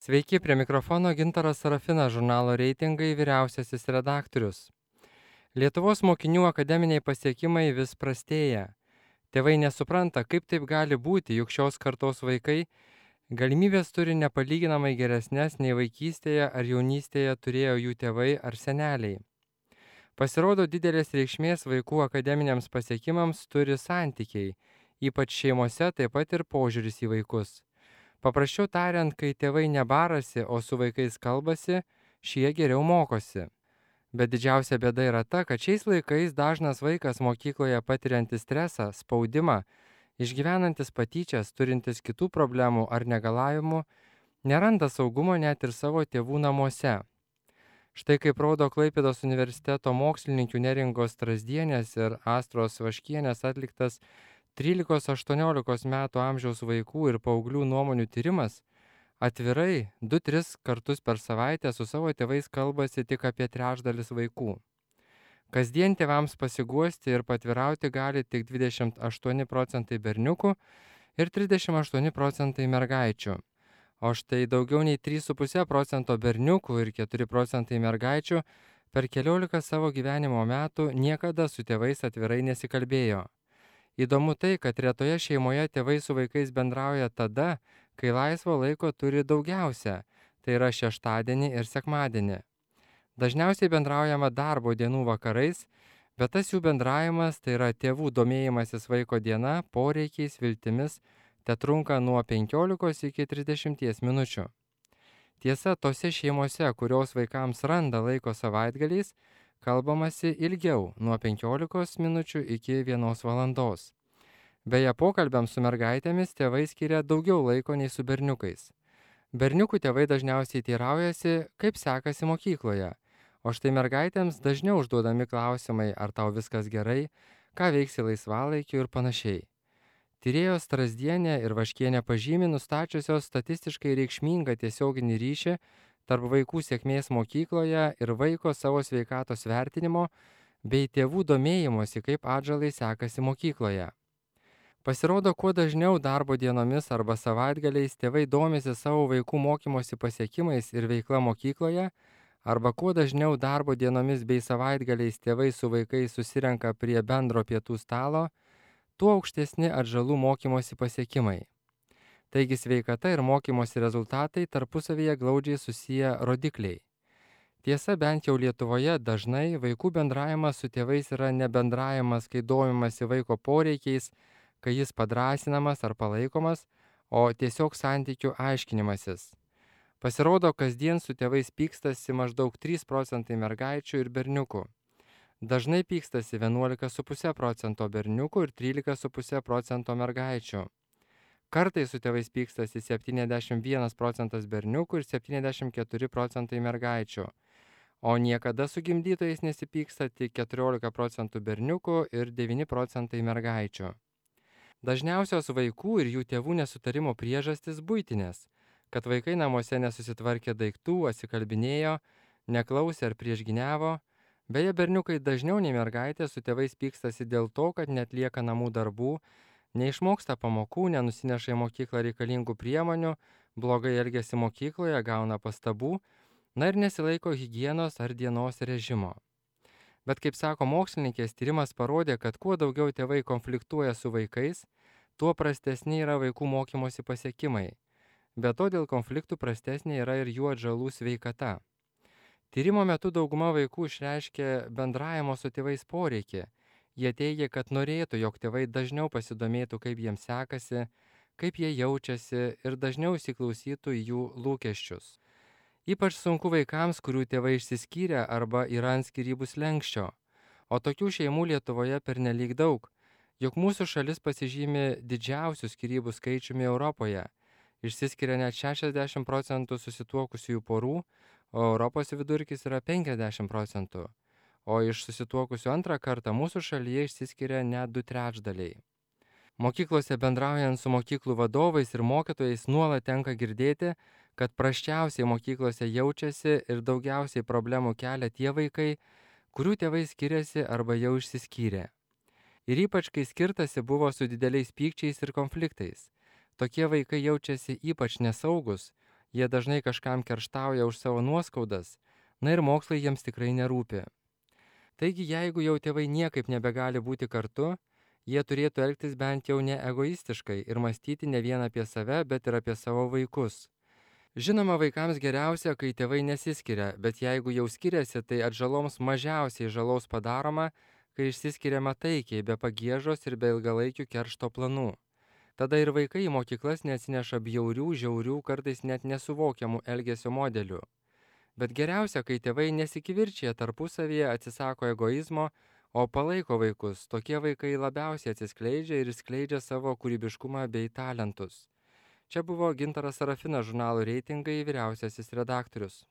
Sveiki, prie mikrofono Gintaras Sarafinas, žurnalo Reitingai vyriausiasis redaktorius. Lietuvos mokinių akademiniai pasiekimai vis prastėja. Tėvai nesupranta, kaip taip gali būti, juk šios kartos vaikai galimybės turi nepalyginamai geresnės nei vaikystėje ar jaunystėje turėjo jų tėvai ar seneliai. Pasirodo, didelės reikšmės vaikų akademiniams pasiekimams turi santykiai, ypač šeimose, taip pat ir požiūris į vaikus. Paprasčiau tariant, kai tėvai nebarasi, o su vaikais kalbasi, šie geriau mokosi. Bet didžiausia bėda yra ta, kad šiais laikais dažnas vaikas mokykloje patiriantis stresą, spaudimą, išgyvenantis patyčias, turintis kitų problemų ar negalavimų, neranda saugumo net ir savo tėvų namuose. Štai kaip rodo Klaipėdos universiteto mokslininkių Neringos Strazdienės ir Astros Vaškienės atliktas 13–18 metų amžiaus vaikų ir paauglių nuomonių tyrimas, atvirai 2–3 kartus per savaitę su savo tėvais kalbasi tik apie trečdalis vaikų. Kasdien tėvams pasiguosti ir patvirauti gali tik 28% berniukų ir 38% mergaičių. O štai daugiau nei 3,5% berniukų ir 4% mergaičių per keliolika savo gyvenimo metų niekada su tėvais atvirai nesikalbėjo. Įdomu tai, kad retoje šeimoje tėvai su vaikais bendrauja tada, kai laisvo laiko turi daugiausia, tai yra šeštadienį ir sekmadienį. Dažniausiai bendraujama darbo dienų vakarais, bet tas jų bendravimas, tai yra tėvų domėjimasis vaiko diena, poreikiais, viltimis, tetrunka nuo 15 iki 30 minučių. Tiesa, tose šeimose, kurios vaikams randa laiko savaitgaliais, kalbamasi ilgiau, nuo 15 minučių iki 1 valandos. Beje, pokalbiams su mergaitėmis tėvai skiria daugiau laiko nei su berniukais. Berniukų tėvai dažniausiai teiraujasi, kaip sekasi mokykloje, o štai mergaitėms dažniau užduodami klausimai, ar tau viskas gerai, ką veiksi laisvalaikiu ir panašiai. Tyrėjos Strazdienė ir Vaškienė pažymi nustačiusios statistiškai reikšmingą tiesioginį ryšį tarp vaikų sėkmės mokykloje ir vaiko savo sveikatos vertinimo bei tėvų domėjimosi, kaip atžalai sekasi mokykloje. Pasirodo, kuo dažniau darbo dienomis arba savaitgaliais tėvai domisi savo vaikų mokymosi pasiekimais ir veikla mokykloje, arba kuo dažniau darbo dienomis bei savaitgaliais tėvai su vaikais susirenka prie bendro pietų stalo, tuo aukštesni atžalų mokymosi pasiekimai. Taigi sveikata ir mokymosi rezultatai tarpusavyje glaudžiai susiję rodikliai. Tiesa, bent jau Lietuvoje dažnai vaikų bendravimas su tėvais yra ne bendravimas, kai domimasi vaiko poreikiais, kai jis padrąsinamas ar palaikomas, o tiesiog santykių aiškinimasis. Pasirodo, kasdien su tėvais pykstasi maždaug 3% mergaičių ir berniukų. Dažnai pykstasi 11,5% berniukų ir 13,5% mergaičių. Kartais su tėvais pykstasi 71% berniukų ir 74% mergaičių, o niekada su gimdytojais nesipyksta tik 14% berniukų ir 9% mergaičių. Dažniausios vaikų ir jų tėvų nesutarimo priežastis buitinės, kad vaikai namuose nesusitvarkė daiktų, atsikalbinėjo, neklausė ar priešginiavo. Beje, berniukai dažniau nei mergaitė su tėvais pykstasi dėl to, kad netlieka namų darbų, neišmoksta pamokų, nenusineša į mokyklą reikalingų priemonių, blogai elgiasi mokykloje, gauna pastabų, na ir nesilaiko higienos ar dienos režimo. Bet kaip sako mokslininkės, tyrimas parodė, kad kuo daugiau tėvai konfliktuoja su vaikais, tuo prastesni yra vaikų mokymosi pasiekimai. Be to, dėl konfliktų prastesnė yra ir jų atžalų sveikata. Tyrimo metu dauguma vaikų išreiškė bendravimo su tėvais poreikį. Jie teigia, kad norėtų, jog tėvai dažniau pasidomėtų, kaip jiems sekasi, kaip jie jaučiasi ir dažniau įsiklausytų į jų lūkesčius. Ypač sunku vaikams, kurių tėvai išsiskyrė arba yra ant skyrybų slenksčio. O tokių šeimų Lietuvoje pernelyg daug, juk mūsų šalis pasižymi didžiausių skyrybų skaičiumi Europoje. Išsiskiria net 60% susituokusiųjų porų, o Europos vidurkis yra 50%. O iš susituokusių antrą kartą mūsų šalyje išsiskiria net 2/3. Mokyklose bendraujant su mokyklų vadovais ir mokytojais nuolat tenka girdėti, kad prasčiausiai mokyklose jaučiasi ir daugiausiai problemų kelia tie vaikai, kurių tėvai skiriasi arba jau išsiskyrė. Ir ypač kai skirtasi buvo su dideliais pykčiais ir konfliktais. Tokie vaikai jaučiasi ypač nesaugus, Jie dažnai kažkam kerštauja už savo nuoskaudas, na ir mokslai jiems tikrai nerūpi. Taigi, jeigu jau tėvai niekaip nebegali būti kartu, jie turėtų elgtis bent jau ne egoistiškai ir mąstyti ne vien apie save, bet ir apie savo vaikus. Žinoma, vaikams geriausia, kai tėvai nesiskiria, bet jeigu jau skiriasi, tai atžaloms mažiausiai žalos padaroma, kai išsiskiriama taikiai, be pagiežos ir be ilgalaikių keršto planų. Tada ir vaikai į mokyklas neatsineša bjaurių, žiaurių, kartais net nesuvokiamų elgesio modelių. Bet geriausia, kai tėvai nesikivirčia tarpusavyje, atsisako egoizmo, o palaiko vaikus. Tokie vaikai labiausiai atsiskleidžia ir skleidžia savo kūrybiškumą bei talentus. Čia buvo Gintaras Sarafinas, žurnalo Reitingai vyriausiasis redaktorius.